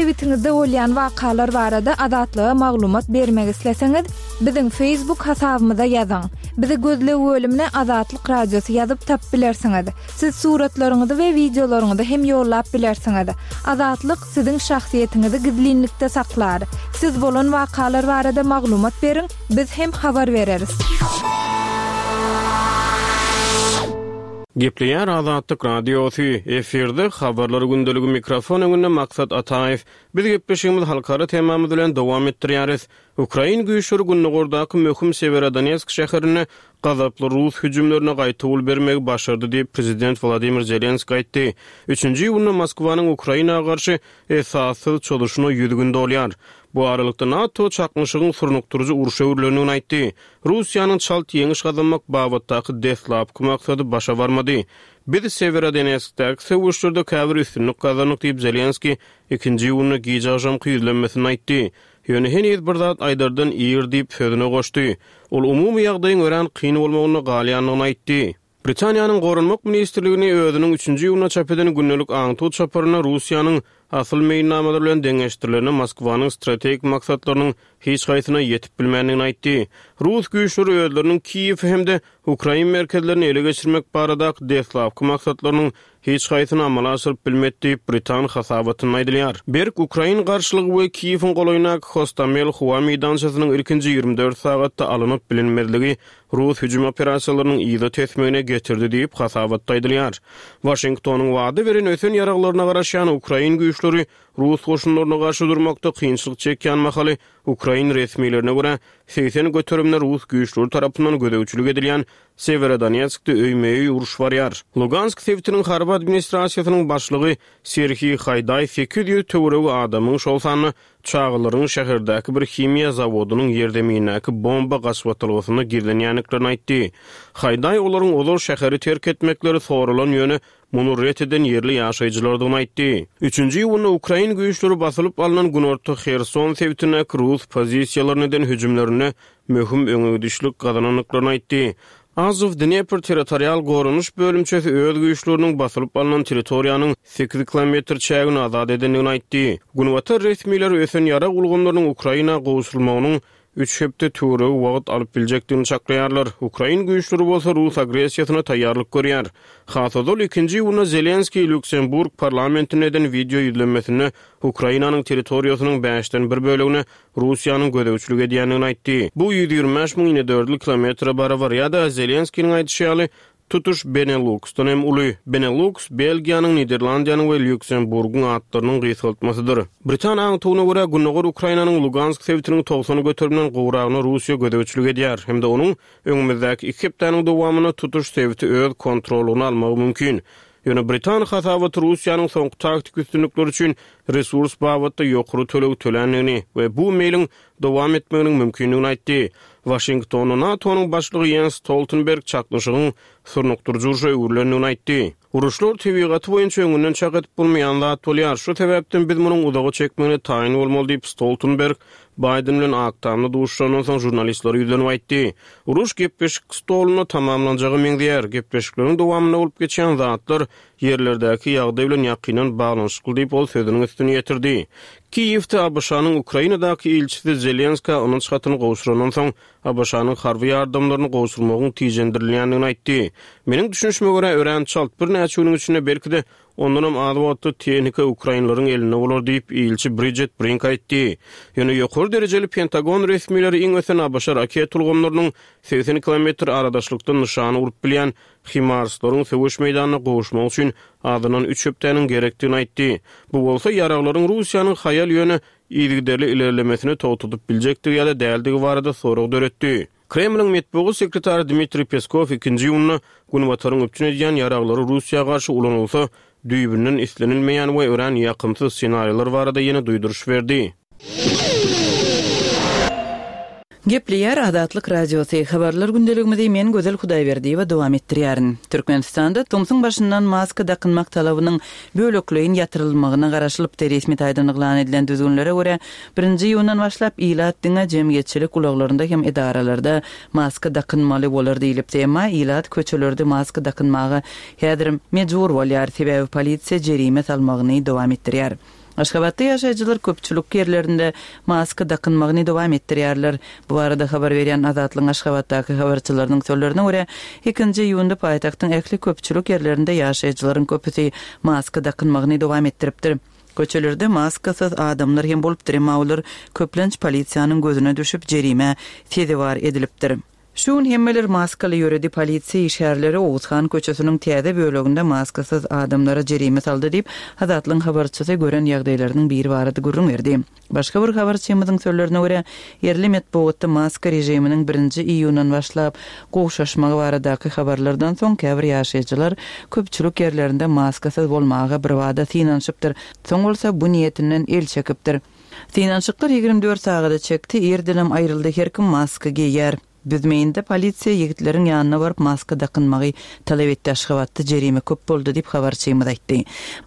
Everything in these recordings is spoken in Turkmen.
sebitiňizde bolýan wakalar barada Azatlyga maglumat bermek isleseňiz, biziň Facebook hasabymyza ýazyň. Bizi gözleg bölümine Azatlyk Radiosy ýazyp tapyp bilersiňiz. Siz suratlaryňyzy we wideolaryňyzy hem ýollap bilersiňiz. Azatlyk siziň şahsyýetiňizi gizlinlikde saklar. Siz bolan wakalar barada maglumat beriň, biz hem habar bereris. Gepleýär Azatlyk Radiosy, efirde Habarlar gündeligi mikrofon öňünde Maksat Ataýew. Biz gepleşigimizi halkara temamyz bilen dowam etdirýäris. Ukrain güýçleri gündogardaky möhüm Sewerodonetsk şäherinde gazaply rus hüjümlerine gaýtawul bermegi başardy diýip, prezident Wladimir Zelenskiý aýtdy. Üçünji iýunda Moskwanyň Ukraina garşy esassyz çozuşyna 100 gün dolýar. Bu aralykda NATO çaknyşygyň surnukdyryjy urşa öwrülendigini aýtdy. Russiýanyň çalt ýeňiş gazanmak babatdaky deslapky maksady başa barmady. Biz Sewerodonetskdäki söweşlerde käbir üstünlik gazandyk diýip, Zelenskiý ikinji iýunda gije agşamky ýüzlenmesinde aýtdy. Ýöne heniz bir zat aýdardan ir diýip, sözüne goşdy. Ol umumy ýagdaýyň örän kyn bolmagynda galýandygyny aýtdy. Britaniýanyň Goranmak ministrligini özüniň üçünji iýunda çap eden gündelik aňtaw çaparynda Russiýanyň asyl meýilnamalary bilen deňeşdirilende Moskwanyň strategik maksatlarynyň hiç haýsyna ýetip bilmändigini aýtdy. Rus güýçleri özleriniň Kiýewi hem-de ukrain merkezlerini ele geçirmek baradaky deslapky maksatlarynyň hiç haýsyny amala aşyryp bilmedi diýip, britan hasabatynda aýdylýar. Berk ukrain garşylygy we Kiýewiň golaýyndaky Hostomel howa meýdançasynyň ilkinji 24 sagatda alnyp bilinmezligi rus hüjüm operasiýalarynyň yza tesmegine getirdi diýip, hasabatda aýdylýar. Waşingtonyň wada beren ösen ýaraglaryna garaşýan ukrain güýçleri rus goşunlaryna garşy durmakda kynçylyk çekýän mahaly, ukrain resmilerine görä, 80 göterimine rus güýçleri tarapyndan gözegçilik edilýän Sewerodonetskde öýme-öý uruş barýar. Lugansk sebitiniň harby administrasiýasynyň başlygy Serhiý Haýdaý 800 töweregi adamyň, şol sanda çagalaryň şäherdäki bir himiýa zawodynyň ýerzeminindäki bomba gaçybatalgasynda gizlenýändiklerini aýtdy. Haýdaý olaryň ozal şäheri terk etmekleri soralan, ýöne muny ret eden ýerli ýaşaýjylardygyny aýtdy. Üçünji iýunda ukrain güýçleri basylyp alnan günorta Herson sebitindäki rus pozisiýalaryna eden hüjümlerinde möhüm öňegidişlik gazanandyklaryny aýtdy. Azow Dnepr territorial goranyş bölümçesi öz güýçleriniň basylyp alnan territoriýanyň sekiz kilometr çägini azat edendigini aýtdy. Günbatar resmileri ösen ýarag ulgamlarynyň Ukraina gowşurylmagynyň üç hepde töweregi wagt alyp biljekdigini çaklaýarlar. Ukrain güýçleri bolsa rus agressiýasyna taýýarlyk görýär. Has ozal, ikinji iýunda Zelenskiý Lýuksemburg parlamentinde eden wideo ýüzlenmesinde Ukrainanyň territoriýasynyň bäşden bir bölegine Russiýanyň gözegçilik edýändigini aýtdy. Bu 125 müň inedördül kilometre barabar ýa-da, Zelenskiniň aýdyşy ýaly, tutuş Beneluksdan hem uly. Beneluks, Belgiýanyň, Niderlandiýanyň we Lýuksemburgyň atlarynyň gysgaltmasydyr. Britan aňtawyna görä, gündogar Ukrainanyň Lugansk sebitiniň 90 göterimden gowragyna Russiýa gözegçilik edýär hem-de onuň öňümizdäki iki hepdäniň dowamynda tutuş sebiti öz kontrollygyna almagy mümkin. Ýöne britan hasabaty Russiýanyň soňky taktiki üstünlikleri üçin resurs babatda ýokary töleg töländigini we bu meýliň dowam etmeginiň mümkindigini aýtdy. Waşingtonda NATO-nyň başlygy Ýens Stoltenberg çaknyşygyň surnukdyryjy urşa öwrülendigini aýtdy. Uruşlar tebigaty boýunça öňünden çak edip bolmaýan zat bolýar. Şu sebäpden biz munuň uzaga çekmegine taýyn bolmaly diýip, Stoltenberg Baýden bilen Ak Tamda duşuşandan soň žurnalistlere ýüzlenip aýtdy. Uruş gepleşik stolunda tamamlanjaga meňzeýär. Gepleşikleriň dowamynda bolup geçýän zatlar ýerlerdäki ýagdaý bilen ýakyndan baglanyşykly diýip, ol sözüniň üstüni ýetirdi. Kiýewde ABŞ-nyň Ukrainadaky ilçisi Zelenskä ynanç hatyny gowşurandan soň, ABŞ-nyň harby ýardamlaryny gowşurmagyň tijendirilýändigini aýtdy. Meniň düşünişime görä, örän çalt, birnäçe günüň içinde, belki-de, Ondanam az wagtda tehnika ukrainleriň elinde bolar diýip, ilçi Bridjet Brink aýtdy. Ýöne ýokary derejeli Pentagon resmileri iň ösen ABŞ raketa ulgamlarynyň 80 kilometr aradaşlykdan nyşana urup bilýän HIMARS-laryň söweş meýdanyna gowuşmagy üçin azyndan üç hepdäniň gerekdigini aýtdy. Bu bolsa ýaraglaryň Russiýanyň haýal, ýöne yzygiderli ilerlemesini togtadyp biljekdigi ýa-da däldigi barada sorag döretdi. Kremliň metbugat sekretary Dmitriý Peskow ikinji iýunda Günbataryň üpjün edýän ýaraglary Russiýa garşy ulanylsa, düýbünden islenilmeýän we örän ýakymsyz ssenariler barada ýene duýduryş berdi. Gepleýär Azatlyk Radiosy, Habarlar gündeligimizi men Gözel Hudaýberdiýewa dowam etdirýärin. Türkmenistanda tomsuň başyndan maska dakynmak talabynyň bölekleýin ýatyrylmagyna garaşylypdy. Resmi taýdan yglan edilen düzgünlere görä, Birinji iýundan başlap ilat diňe jemgyýetçilik ulaglarynda hem edaralarda maska dakynmaly bolar diýlipdi. Emma ilat köçelerde maska dakynmaga häzirem mejbur bolýar, sebäbi polisiýa jerime salmagyny dowam etdirýär. Aşgabatda ýaşaýjylar köpçülik ýerlerinde maska dakynmagyny dowam etdirýärler. Bu barada habar berýän Azatlygyň Aşgabatdaky habarçylarynyň sözlerine görä, ikinji iýunda paýtagtyň ähli köpçülik ýerlerinde ýaşaýjylaryň köpüsi maska dakynmagyny dowam etdiripdir. Köçelerde maskasyz adamlar hem bolupdyr, emma olar köplenç polisiýanyň gözüne düşüp, jerimä sezewar edilipdir. Şu gün hemmeler maskaly ýöredi, polisiýa işgärleri Oguzhan köçesiniň täze böleginde maskasyz adamlara jerime saldy diýip, Azatlygyň habarçysy gören ýagdaýlarynyň biri barada gürrüň berdi. Başga bir habarçymyzyň sözlerine görä, ýerli metbugatda maska režiminiň birinji iýundan başlap gowşaşmagy baradaky habarlardan soň käbir ýaşaýjylar köpçülik ýerlerinde maskasyz bolmaga birbada synanyşypdyr, soň bolsa bu niýetinden el çekipdir. Synanyşyklar 24 sagada çekdi, irdenem aýryldy, her kim maska geýýär. Büzmeýinde polisiýa ýigitleriň ýanyna baryp maska dakynmagy talap etdi, Aşgabatda jerime köp boldy diýip, habarçymyz aýtdy.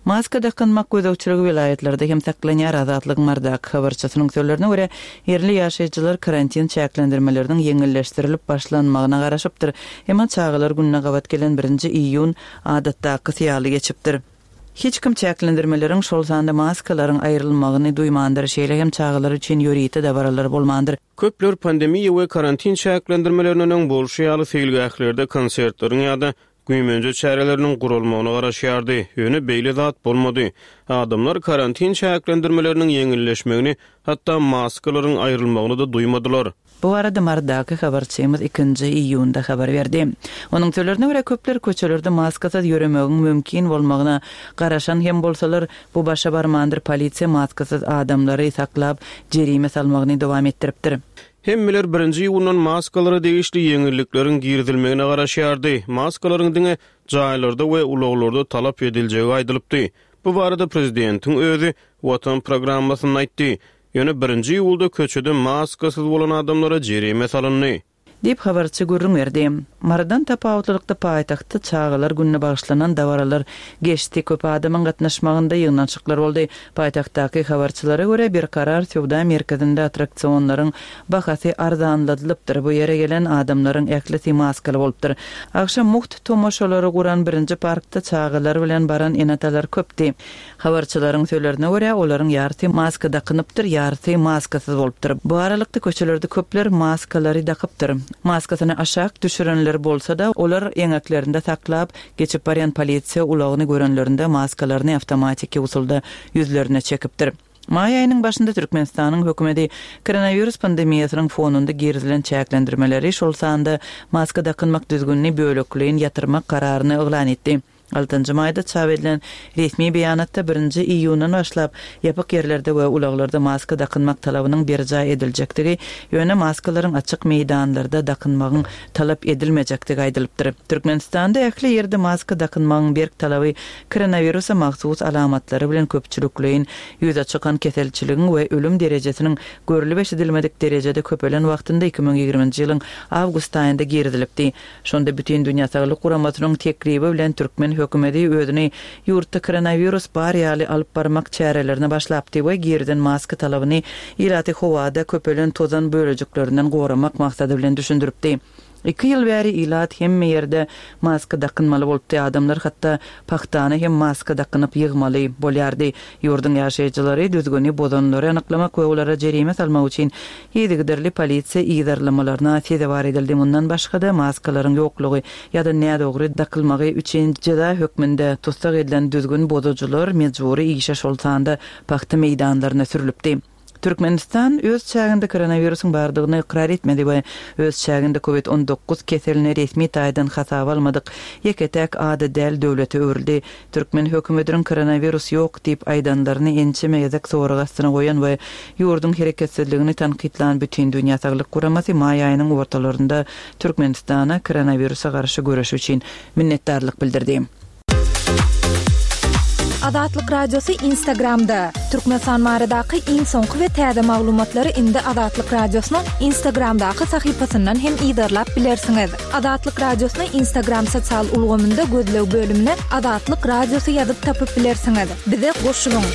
Maska dakynmak gözegçiligi welaýatlarda hem saklanýar, Azatlygyň Marydaky habarçysynyň sözlerine görä, ýerli ýaşaýjylar karantin çäklendirmeleriniň ýeňilleşdirilip başlanmagyna garaşypdyr, emma çagalar gününe gabat gelen birinji iýun adatdakysy ýaly geçipdir. Hiç kim çäklendirmeleriň, şol sanda maskalaryň aýrylmagyny duýmandyr, şeýle hem çagalar üçin ýörite dabaralar bolmandyr. Köpler pandemiýa we karantin çäklendirmelerinden öň bolşy ýaly seýilgählerde konsertleriň ýa-da güýmenje çäreleriniň guralmagyna garaşýardy. Ýöne beýle zat bolmady. Adamlar karantin çäklendirmeleriniň ýeňilleşmegini, hatda maskalaryň aýrylmagyny-da duýmadylar. Bu barada Marydaky habarçymyz ikinji iýunda habar berdi. Onuň sözlerine görä, köpler köçelerde maskasyz ýöremegiň mümkin bolmagyna garaşan hem bolsalar, bu başa barmandyr, polisiýa maskasyz adamlary saklap, jerime salmagyny dowam etdiripdir. Hemmeler birinji iýundan maskalara degişli ýeňillikleriň girizilmegine garaşýardy. Maskalaryň diňe jaýlarda we ulaglarda talap ediljegi aýdylypdy. Bu barada prezidentiň özi Watan programmasynda aýtdy. Ýöne birinji iýulda köçede maskasyz bolan adamlara jerime salyndy. Diýip, habarçy gürrüň berdi. Marydan tapawutlylykda paýtagtda çagalar gününe bagyşlanan dabaralar geçdi, köp adamyň gatnaşmagynda ýygnanyşyklar boldy. Paýtagtdaky habarçylara görä, Berkarar söwda merkezinde attraksionlaryň bahasy arzanladylypdyr, bu ýere gelen adamlaryň ählisi maskaly bolupdyr. Agşam mugt tomaşalary guran birinji parkda çagalar bilen baran ene-atalar köpdi. Habarçylaryň sözlerine görä, olaryň ýarysy maska dakynypdyr, ýarysy maskasyz bolupdyr. Bu aralykda köçelerde köpler maskalary dakypdyr. Maskasyny aşak düşürenler bolsa-da, olar eňeklerinde saklap, geçip barýan polisiýa ulagyny görenlerinde maskalaryny awtomatiki usulda ýüzlerine çekipdir. Maý aýynyň başynda Türkmenistanyň hökümeti koronawirus pandemiýasynyň fonunda girizilen çäklendirmeleri, şol sanda maska dakynmak düzgünini bölekleýin ýatyrmak kararyny yglan etdi. Altynjy maýda çap edilen resmi beýanatda birinji iýundan başlap ýapyk ýerlerde we ulaglarda maska dakynmak talabynyň berjaý ediljekdigi, ýöne maskalaryň açyk meýdanlarda dakynmagyň talap edilmejekdigi aýdylypdyr. Türkmenistanda ähli ýerde maska dakynmagyň berk talaby koronawirusa mahsus alamatlary bilen köpçülikleýin ýüze çykan keselçiligiň we ölüm derejesiniň görlüp-eşidilmedik derejede köpelen wagtynda 2020-nji ýylyň awgust aýynda girizilipdi. Şonda Bütindünýä Saglyk Guramasynyň teklibi bilen türkmen hökümeti özüni ýurtda koronawirus bar ýaly alyp barmak çärelerine başlapdy we girizen maska talabyny ilaty howada köpelen tozan bölejiklerinden goramak maksady bilen düşündiripdi. Iki ýyl bäri ilat hemme ýerde maska dakynmaly bolupdy, adamlar hatda pagtany hem maska dakynyp ýygmaly bolýardy. Ýurduň ýaşaýjylary düzgüni bozanlary anyklamak we olara jerime salmak üçin yzygiderli polisiýa yzarlamalaryna sezewar edildi. Mundan başga-da, maskalaryň ýoklugy ýa-da nädogry dakylmagy üçin jeza hökmünde tussag edilen düzgün bozujylar mejbury işe, şol sanda pagta meýdanlaryna sürlüpdi. Türkmenistan öz çäginde koronawirusyň bardygyny ykrar etmedi we öz çäginde covid 19 keselini resmi taýdan hasaba almadyk ýeke-täk ada däl döwlete öwrüldi. Türkmen hökümetiniň koronawirus ýok diýip aýdanlaryny ençeme gezek sorag astyna goýan we ýurduň hereketsizligini tankytlan Bütindünýä Saglyk Guramasy maý aýynyň ortalarynda Türkmenistana koronawirusa garşy göreşi üçin minnetdarlyk bildirdi. Azatlyk Radiosy Instagramda, Türkmenistan baradaky iň soňky we täze maglumatlary indi Azatlyk Radiosynyň Instagramdaky sahypasyndan hem yzarlap bilersiňiz. Azatlyk Radiosyny Instagram sosial ulgamynda gözleg bölümine Azatlyk Radiosy ýazyp tapyp bilersiňiz. Bize goşulyň!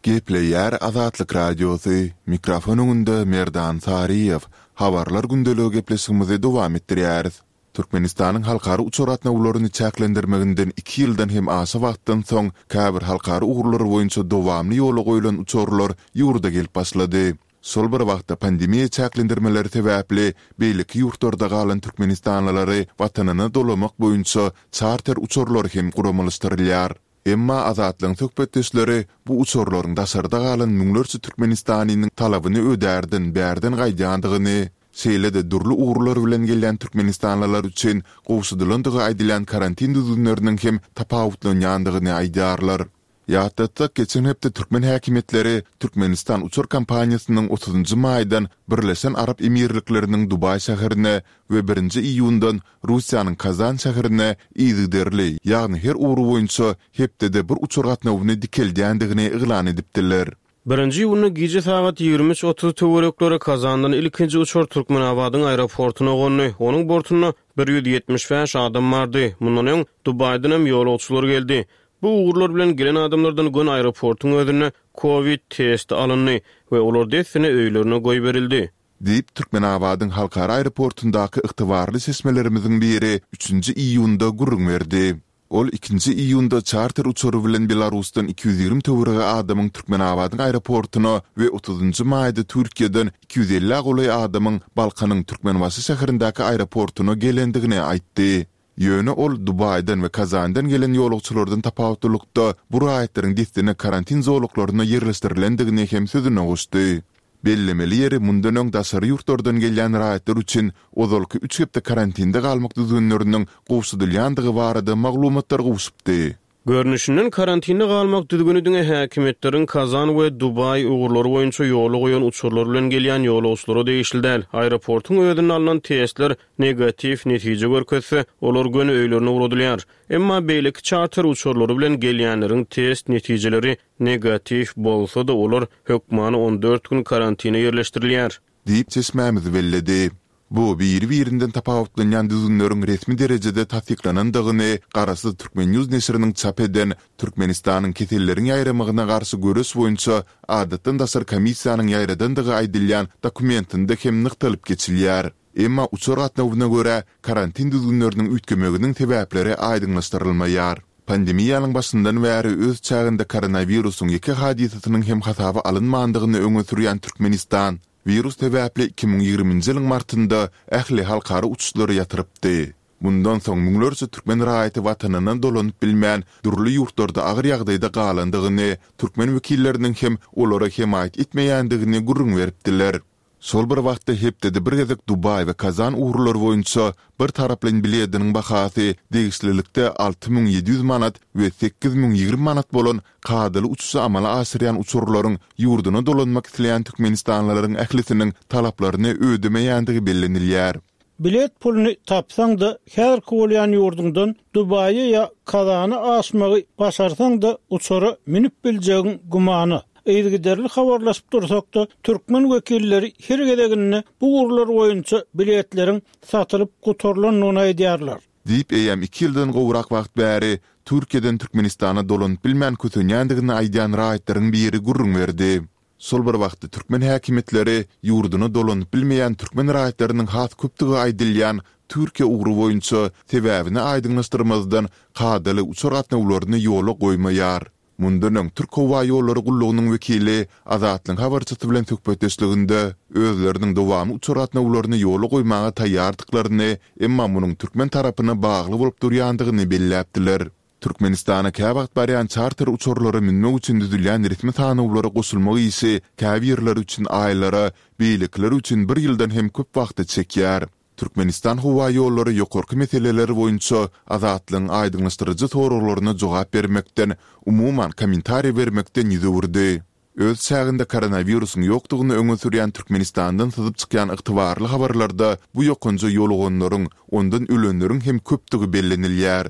Gepleýär Azatlyk Radiosy, mikrofon öňünde Merdan Saryýew. Habarlar gündeligi gepleşigimizi dowam etdirýäris. Türkmenistanyň halkara uçar gatnawlaryny çäklendirmeginden iki ýyldan hem aşa wagtdan soň, käbir halkara ugurlary boýunça dowamly ýola goýlan uçarlar ýurda gelip başlady. Şol bir wagtda, pandemiýa çäklendirmeleri sebäpli beýleki ýurtlarda galan türkmenistanlylary watanyna dolamak boýunça çarter uçarlary hem guramalaşdyrylýar. Emma Azatlygyň söhbetdeşleri bu uçarlaryň daşarda galan müňlerçe türkmenistanlynyň talabyny ödärden bärden gaýdýandygyny, şeýle-de dürli ugurlar bilen gelýän türkmenistanlylar üçin gowşadylandygy aýdylýan karantin düzgünleriniň hem tapawutlanýandygyny aýdýarlar. Ýatlatsak, geçen hepde türkmen häkimiýetleri Türkmenistan uçar kompaniýasynyň otuzynjy maýdan Birleşen Arap Emirlikleriniň Dubaý şäherine we birinji iýundan Russiýanyň Kazan şäherine yzygiderli, ýagny her ugry boýunça hepdede bir uçar gatnawyny dikeldýändigini yglan edipdiler. Birinji iýunda gije sagat 23.30 töwerekleri Kazandan ilkinji uçar Türkmenabadyň aeroportuna gondy. Onuň bortunda 175 adam bardy. Mundan öň, Dubaýdan hem ýolagçylar geldi. Bu ugurlar bilen gelen adamlardan göni aeroportuň özünde kowid testi alyndy we olar dessine öýlerine goýberildi. Diýip, Türkmenabadyň halkara aeroportundaky ygtybarly çeşmelerimiziň biri üçünji iýunda gürrüň berdi. Ol ikinji iýunda çarter uçary bilen Belarusdan 220 töweregi adamyň Türkmenabadyň aeroportuna we otuzynjy maýda Türkiýeden 250 golaý adamyň Balkanyň Türkmenbaşy şäherindäki aeroportuna gelendigini aýtdy. Ýöne ol Dubaýdan we Kazandan gelen ýolagçylardan tapawutlylykda bu raýatlaryň dessine karantin zolaklaryna ýerleşdirilendigini hem sözüne goşdy. Bellemeli ýeri, mundan öň daşary ýurtlardan gelýän raýatlar üçin ozalky üç hepde karantinde galmak düzgünleriniň gowşadylýandygy barada maglumatlar gowşupdy. Görnüşinden, karantinde galmak düzgüni diňe häkimiýetleriň Kazan we Dubaý ugurlary boýunça ýola goýan uçarlar bilen gelýän ýolagçylara degişli däl. Aeroportuň özünde alnan testler negatiw netije görkezse, olar göni öýlerine ugradylýar. Emma beýleki çarter uçarlary bilen gelýänleriň test netijeleri negatiw bolsa-da, olar hökmany 14 gün karantine ýerleşdirilýär. Diýip, çeşmämiz belledi. Bu biri-birinden tapawutlanýan düzgünleriň resmi derejede tassyklanandygyny garaşsyz Turkmen. News neşiriniň çap eden Türkmenistanyň keselleriň ýaýramagyna garşy göreş boýunça adatdan daşary komissiýanyň ýaýradandygy aýdylýan dokumentinde hem nygtalyp geçilýär. Emma uçar gatnawyna görä karantin düzgünleriniň üýtgemeginiň sebäpleri aýdyňlaşdyrylmaýar. Pandemiýanyň başyndan bäri öz çäginde koronawirusyň ýeke hadysasynyň hem hasaba alynmandygyny öňe sürýän Türkmenistan, Wirus sebäpli 2020-nji ýylyň martynda ähli halkara uçuşlary ýatyrypdy. Mundan soň müňlerçe türkmen raýaty watanyna dolanyp bilmän, dürli ýurtlarda agyr ýagdaýda galandygyny, türkmen wekilleriniň hem olara hemaýat etmeýändigini gürrüň beripdiler. Şol bir wagtda hepdede bir gezek Dubaý we Kazan ugurlary boýunça bir taraplaýyn bilediniň bahasy degişlilikde 6700 manat we 8020 manat bolan kadaly uçuşy amala aşyrýan uçarlaryň ýurduna dolanmak isleýän türkmenistanlylaryň ählisiniň talaplaryny ödemeýändigi bellenilýär. Bilet puluny tapsaň-da, häzirki bolýan ýurduňdan Dubaýa ýa Kazana aşmagy başarsaň-da, uçara münüp biljegiň gümana. Yzygiderli habarlaşyp dursak-da, türkmen wekilleri her gezeginde bu ugurlar boýunça biletleriň satylyp gutarylandygyny aýdýarlar. Diýip, eýýäm iki ýyldan gowrak wagt bäri Türkiýeden Türkmenistana dolanyp bilmän kösenýändigini aýdýan raýatlaryň biri gürrüň berdi. Şol bir wagtda türkmen häkimiýetleri ýurduna dolanyp bilmeýän türkmen raýatlarynyň has köpdügi aýdylýan Türkiýe ugry boýunça sebäbini aýdyňlaşdyrmazdan kadaly uçar gatnawlaryny ýola goýmaýar. Mundan öň Türk howa ýollary gullugynyň wekili Azatlygyň habarçysy bilen söhbetdeşliginde özleriniň dowamly uçar gatnawlaryny ýola goýmaga taýýardyklaryny, emma munuň türkmen tarapyna bagly bolup durýandygyny belläpdiler. Türkmenistana käwagt barýan çarter uçarlara münmek üçin düzülýän resmi sanawlara goşulmak işi käbirleri üçin aýlara, beýlekileri üçin bir ýyldan hem köp wagta çekýär. Türkmenistan howaýollary ýokarky meseleler boýunça Azatlygyň aýdyňlaşdyryjy soraglaryna jogap bermekden, umuman, kommentariý bermekden ýüz öwürdi. Öz çäginde koronawirusyň ýokdugyny öňe sürýän Türkmenistandan syzyp çykýan ygtybarly habarlarda bu ýokanja ýoluganlaryň, ondan ölenleriň hem köpdügi bellenilýär.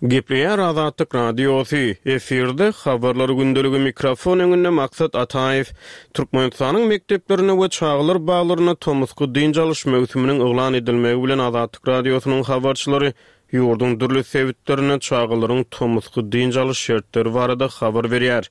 Gepleýär Azatlyk Radiosy, efirde Habarlar gündeligi mikrofon öňünde Maksat Ataýew. Türkmenistanyň mekdeplerinde we çagalar baglarynda tomusky dynç alyş möwsüminiň yglan edilmegi bilen Azatlyk Radiosynyň habarçylary ýurduň dürli sebitlerinde çagalaryň tomusky dynç alyş şertleri barada habar berýär.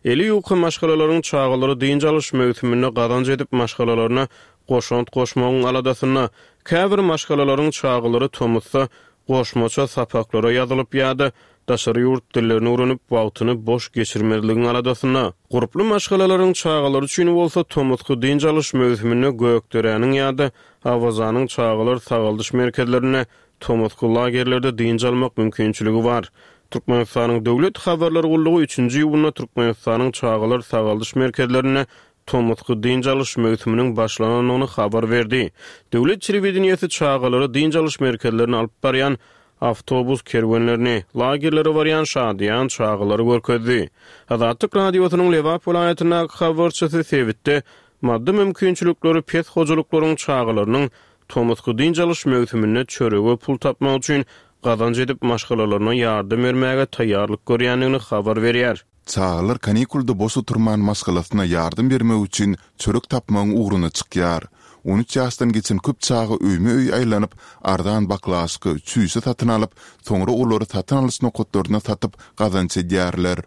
Eli ýuka maşgalalaryň çagalary dynç alyş möwsüminde gazanç edip maşgalalaryna. goşant goşmagyň aladasynda. Käbir maşgalalaryň çagalary tomusda goşmaça sapaklara ýazylyp ýa-da daşary ýurt dillerini öwrenip, wagtyny boş geçirmezligiň aladasynda. Gurply maşgalalaryň çagalary üçin bolsa tomusky dynç alyş möwsüminde Gökderäniň ýa-da Awazanyň çagalar sagaldyş merkezlerinde tomusky lagerlerde dynç almak mümkinçiligi bar. Türkmenistanyň Döwlet habarlar gullugy üçünji iýunda Türkmenistanyň çagalar sagaldyş merkezlerinde tomusky dynç alyş möwsüminiň başlanandygyny habar berdi. Döwlet telewideniýesi çagalary dynç alyş merkezlerine alyp barýan awtobus kerwenlerini, lagerlere barýan şadyýan çagalary görkezdi. Azatlyk Radiosynyň Lebap welaýatyndaky habarçysy sebitde maddy mümkinçilikleri pes hojalyklaryň çagalarynyň tomusky dynç alyş möwsüminde çörege pul tapmak üçin gazanç edip maşgalalaryna ýardam bermäge taýýarlyk görýändigini habar berýär. Çagalar kanikulda boş oturman maşgalasyna ýardam bermek üçin çörek tapmagyň ugruna çykýar. 13 ýaşdan geçen köp çaga öýme-öý aýlanyp, arzan baklaşka, çüýşe satyn alyp, soňra olary satyn alyş nokatlarynda satyp, gazanç edýärler.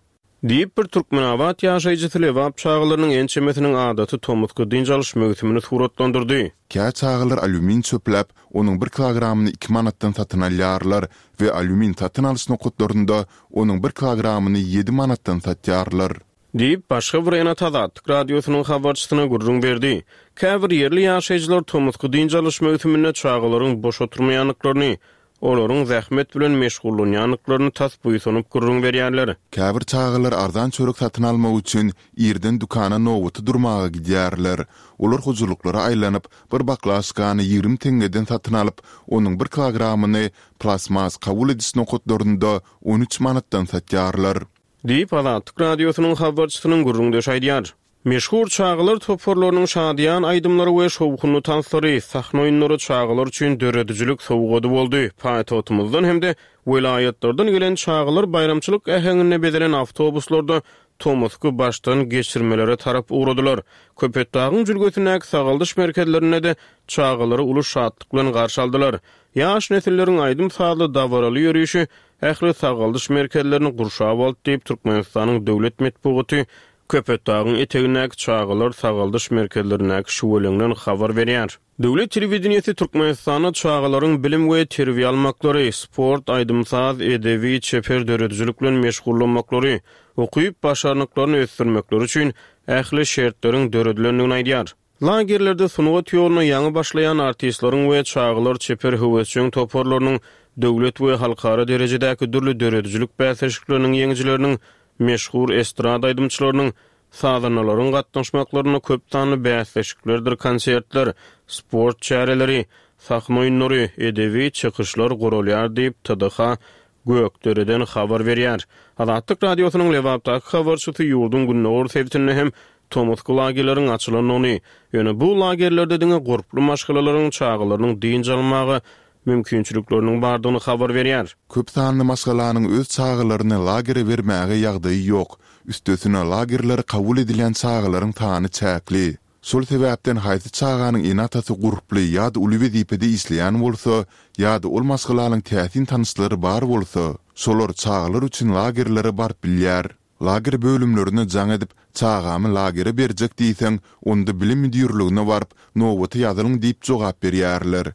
Diýip, bir türkmenabat ýaşaýjysy lebap çagalarynyň ençemesiniň adaty tomusky dynç alyş möwsümini suratlandyrdy. Kä çagalar alýumin çöpläp, onuň bir kilogramyny iki manatdan satyn alýarlar we alýumin satyn alyş nokatlarynda onuň bir kilogramyny ýedi manatdan satýarlar. Diýip, başga bir ene-ata Azatlyk Radiosynyň habarçysyna gürrüň berdi. Käbir ýerli ýaşaýjylar tomusky dynç alyş möwsüminde çagalaryň boş oturmaýandyklaryny, Olaryň zähmet bilen meşgullanýandyklaryny tas buýsanyp gürrüň berýärler. Käbir çagalar arzan çörek satyn almak üçin irden dükana nobata durmaga gidýärler. Olar hojalyklara aýlanyp, bir baklaşkany 20 teňňeden satyn alyp, onuň bir kilogramyny plastmas kabul ediş nokatlarynda 13 manatdan satýarlar. Diýip, Azatlyk Radiosynyň habarçysynyň gürrüňdeşi aýdýar. Meşhur çagalar toparlarynyň şadyýan aýdymlary we şowhunly tanslary, sahna oýunlary çagalar üçin döredijilik sowgady boldy. Paýtagtymyzdan hem-de welaýatlardan gelen çagalar baýramçylyk äheňinde bezelen awtobuslarda tomusky başdan geçirmelere tarap ugradylar. Köpetdagyň jülgesindäki sagaldyş merkezlerinde-de çagalary uly şatlyk bilen garşy aldylar. Ýaş nesilleriň aýdym-sazly dabaraly ýörişi ähli sagaldyş merkezlerini gurşap aldy diýip, Türkmenistanyň döwlet metbugaty Köpetdagyň etegindäki çagalar sagaldyş merkezlerindäki şüweleňden habar berýär. Döwlet telewideniýesi Türkmenistanda çagalaryň bilim we terbiýe almaklary, sport, aýdym-saz, edebi, çeper döredijilik bilen meşgullanmaklary, ukyp-başarnyklaryny ösdürmekleri üçin ähli şertleriň döredilendigini aýdýar. Lagerlerde sungat ýoluna ýaňy başlaýan artistleriň we çagalar çeper höwesjeň toparlarynyň döwlet we halkara derejedäki dürli döredijilik bäsleşikleriniň ýeňijileriniň, meşhur estrada aýdymçylarynyň, sazandalaryň gatnaşmaklarynda köp sanly bäsleşiklerdir konsertler, sport çäreleri, sahna oýunlary, edebi çykyşlar guralýar diýip, TDH Gökdereden habar berýär. Azatlyk Radiosynyň Lebapdaky habarçysy ýurduň gündogar sebitinde hem tomusky lagerleriň açylandygyny, ýöne bu lagerlerde diňe gurply maşgalalaryň çagalarynyň dynç almaga mümkinçilikleriniň bardygyny habar berýär. Köp sanly maşgalanyň öz çagalaryny lagere bermäge ýagdaýy ýok. Üstesine lagerlere kabul edilýän çagalaryň sany çäkli. Şol sebäpden haýsy çaganyň ene-atasy gurply ýa-da uly wezipede işleýän bolsa, ýa-da ol maşgalanyň täsin tanyşlary bar bolsa, şolar çagalar üçin lagerlere baryp bilýär. Lager bölümlerine jaň edip, çagamy lagere berjek diýseň, onda bilim müdirligine baryp, nobata ýazylyň diýip jogap berýärler.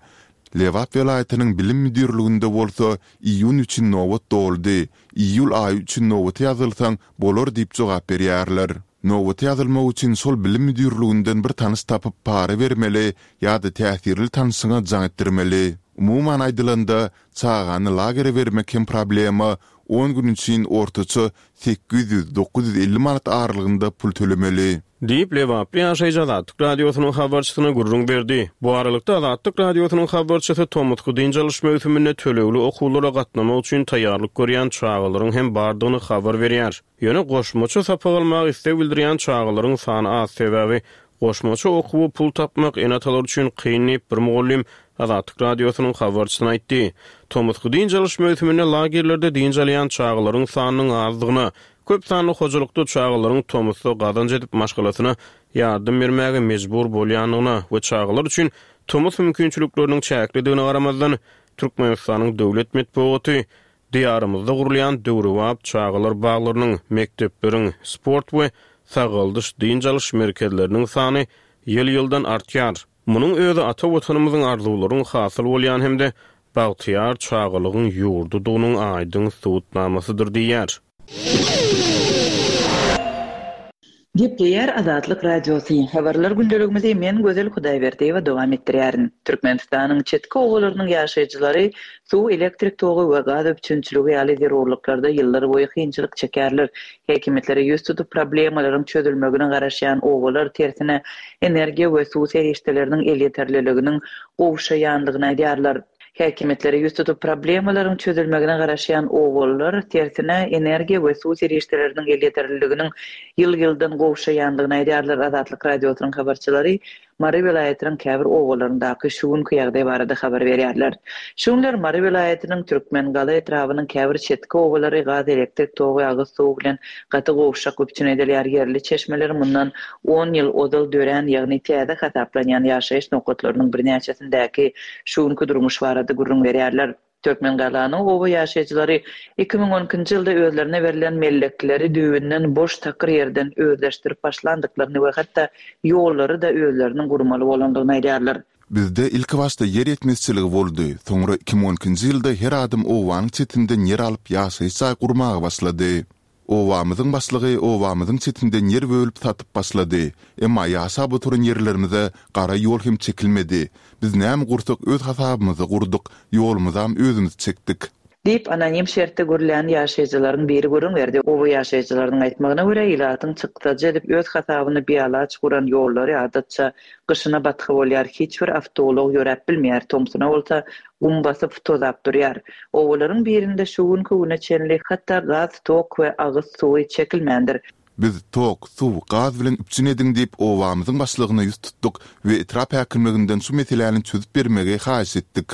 Lebap welaýatynyň bilim müdirliginde bolsa, iýun üçin nobat doldy, iýul aýy üçin nobata ýazylsaň bolar diýip jogap berýärler. Nobata ýazylmak üçin şol bilim müdirliginden bir tanyş tapyp para bermeli ýa-da täsirli tanşyňa jaň etdirmeli. Umuman aýdylanda, çagany lagere bermek hem problema, on gün üçin ortaça 800, 950 manat aralygynda pul tölemeli. Diýip, lebaply ýaşaýjy Azatlyk Radiosynyň habarçysyna gürrüň berdi. Bu aralykda, Azatlyk Radiosynyň habarçysy tomusky dynç alyş möwsüminde tölegli okuwlara gatnamak üçin taýýarlyk görýän çagalaryň hem bardygyny habar berýär. Ýöne goşmaça sapak almaga isleg bildirýän çagalaryň sany az, sebäbi goşmaça okuwa pul tapmak ene-atalar üçin kyn diýip, bir mugallym Azatlyk Radiosynyň habarçysyna aýtdy. Tomusky dynç alyş möwsüminde lagerlerde dynç alýan çagalaryň sanynyň azdygyna, köp sanly hojalykda çagalaryň tomusda gazanç edip maşgalasyna ýardam bermäge mejbur bolýandygyna we çagalar üçin tomus mümkinçilikleriniň çäklidigine garamazdan, Türkmenistanyň döwlet metbugaty Diýarymyzda gurulýan döwrebap çagalar baglarynyň, mekdepleriň, sport we sagaldyş-dynç alyş merkezleriniň sany ýyl-ýyldan artýar. Munuň özi ata Watanymyzyň arzuwlaryň hasyl bolýan hem-de bagtyýar çagalygyň ýurdudygynyň aýdyň subutnamasydyr diýýär. Gepleýär Azatlyk Radiosy, Habarlar gündeligimizi men Gözel Hudaýberdiýewa dowam etdirýärin. Türkmenistanyň çetki obalarynyň ýaşaýjylary suw, elektrik togy we gaz üpjünçiligi ýaly zerurlyklarda ýyllar boýy kynçylyk çekýärler. Häkimiýetlere ýüz tutup problemalaryň çözülmegine garaşýan obalar tersine energiýa we suw serişdeleriniň elýeterliliginiň gowşaýandygyny aýdýarlar. Häkimiýetlere ýüz tutup problemalaryň çözülmegine garaşýan obalylar, tersine, energiýa we suw serişdeleriniň elýeterliliginiň ýyl-ýyldan gowşaýandygyny aýdýarlar. Azatlyk Radiosynyň habarçylary Mary welaýatynyň käbir obalaryndaky şu günki ýagdaý barada habar berýärler. Şu günler Mary welaýatynyň Türkmengala etrabynyň käbir çetki obalary gaz, elektrik togy, agyz suwy bilen gaty gowşak üpjün edilýär. Ýerli çeşmeler mundan on ýyl ozal dörän, ýagny täze hasaplanýan ýaşaýyş nokatlarynyň birnäçesindäki şu günki durmuş barada gürrüň berýärler. Türkmengalanyň oba ýaşaýjylary 2012-nji ýylda özlerine berlen mellekleri düýbünden boş takyr ýerden özleşdirip başlandyklaryny we hatda ýollary-da özleriniň gurmaly bolandygyny aýdýarlar. Bizde ilkibaşda ýer ýetmezçiligi boldy, soňra 2012-nji ýylda her adam obanyň çetinden ýer alyp ýaşaýyş jaý gurmaga başlady. Obamyzyň başlygy obamyzyň çetinden ýer bölüp satyp başlady. Emma ýaşap oturan ýerlerimize gara ýol hem çekilmedi. Biz näme gursak öz hasabymyza gurduk, ýolumyzam özümiz çekdik. Diýip, anonim şertde gürlän ýaşaýjylaryň biri gürrüň berdi. Oba ýaşaýjylarynyň aýtmagyna görä, ilatyň çykdajy edip öz hasabyna bialaç guran ýollary adatça gyşyna batga bolýar, hiç bir awtoulag ýöräp bilmeýär, tomsuna bolsa gum basyp, tozap durýar. Obalaryň birinde şu günki güne çenli hatda gaz, tok we agyz suwy çekilmändir. Biz tok, suw, gaz bilen üpjün ediň diýip obamyzyň başlygyna ýüz tutduk we etrap häkimliginden şu meseläni çözüp bermegi haýyş etdik.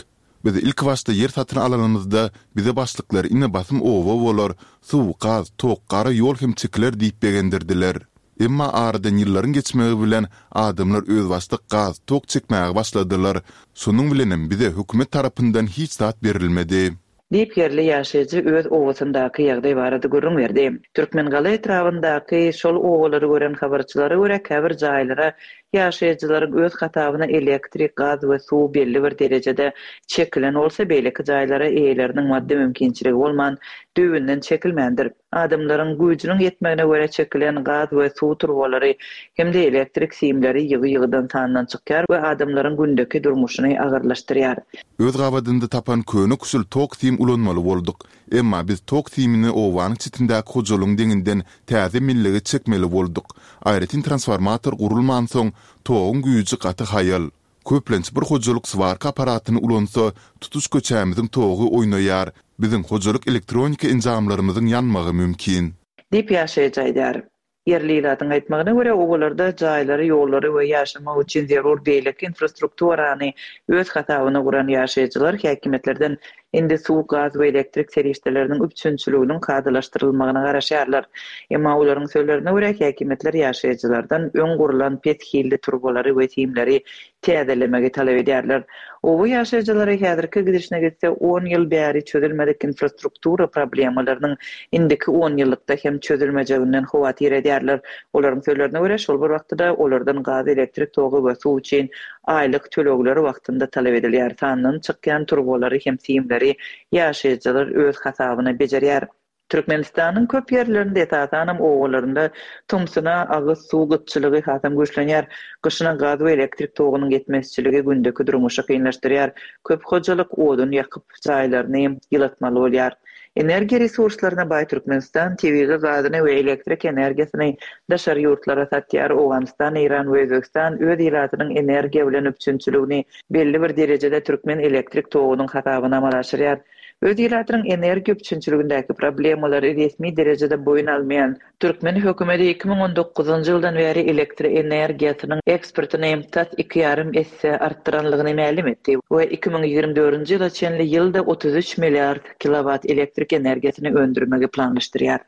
Biz ilkibaşda ýer satyn alanymyzda bize başlyklar ine basym oba bolar, suw, gaz, tok, gara ýol hem çekiler diýip begendirdiler. Emma aradan ýyllaryň geçmegi bilen adamlar özbaşdak gaz, tok çekmäge başladylar. Şonuň bilenem bize hökümet tarapyndan hiç zat berilmedi. Diýip, ýerli ýaşaýjy öz obasyndaky ýagdaý barada gürrüň berdi. Türkmengala etrabyndaky şol obalary gören habarçylara görä, käbir jaýlara ýaşaýjylaryň öz hasabyna elektrik, gaz we suw belli bir derejede çekilen bolsa, beýleki jaýlara eýeleriniň maddy mümkinçiligi bolman, düýbünden çekilmändir. Adamlaryň güýjüniň ýetmegine görä çekilen gaz we suw turbalary hem-de elektrik simleri ýygy-ýygydan sandan çykýar we adamlaryň gündeki durmuşyny agyrlaşdyrýar. Öz gabadynda tapan köne-küşül tok sim ulanmaly bolduk. Emma biz tok simini obanyň çetindäki hojalygyň deňinden täze mellege çekmeli bolduk. Aýratyn transformator gurulmansoň, toguň güýji gaty haýal. Köplenç bir hojalyk swarka apparatyny ulansa, tutuş köçämiziň togy oýnaýar, biziň hojalyk elektronika enjamlarymyzyň ýanmagy mümkin. Diýip, ýaşaýjy aýdýar. Ýerli ilatyň aýtmagyna görä, obalarda jaýlary, ýollary we ýaşamak üçin zerur beýleki infrastrukturany öz hasabyna guran ýaşaýjylar häkimiýetlerden Indi suw, gaz we elektrik serişdeleriniň üpjünçiliginiň kadalaşdyrylmagyna garaşýarlar. Emma olaryň sözlerine görä, häkimiýetler ýaşaýjylardan öň gurlan pes hilli turbalary we simleri täzelemegi talap edýärler. Oba ýaşaýjylary häzirki gidişine gitse on ýyl bäri çözülmedik infrastruktura problemalarynyň indiki onýyllykda hem çözülmejeginden howatyr edýärler. Olaryň sözlerine görä, şol bir wagtda-da olardan gaz, elektrik togy we suw üçin Aýlyk tölegler wagtynda talap edilýär. Sandan çykýan turbalary hem simleri ýaşaýjylar öz hasabyna bejerýär. Türkmenistanyň köp ýerlerinde, esasanam obalarynda tomsuna agyz suw gytçylygy hasam güýçlenýär. Gyşyna gaz we elektrik togunyň ýetmezçiligi gündeki durmuşy kynlaşdyrýar. Köp hojalyk odun ýakyp, jaýlaryny ýylatmaly bolýar. Energiýa resurslaryna baý Türkmenistan tebigy gazyny we elektrik energiýasyny daşary ýurtlara satýar. Owganystan, Eýran we Özbegistan öz ilatynyň energiýa bilen üpjünçiligini belli bir derejede türkmen elektrik togunyň hasabyna amala aşyrýar. Öz ilatynyň energiýa üpjünçiligindäki problemalary resmi derejede boýun almaýan Türkmen hökümeti 2019-njy ýyldan bäri elektroenergiýasynyň eksportyny tas iki ýarym esse artdyranlygyny mälim etdi we 2024-nji ýyla çenli ýylda 33 milliard kilowat elektrik energiýasyny öndürmegi planlaşdyrýar.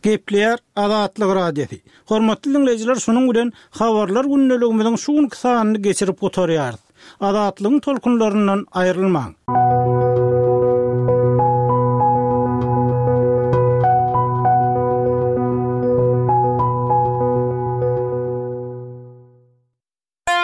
Gepleýär Azatlyk Radiosy. Hormatly diňleýjiler şunuň bilen Habarlar gündeligimiziň şu günki sanyny geçirip gutarýarys. Azatlygyň tolkunlaryndan aýrylmaň!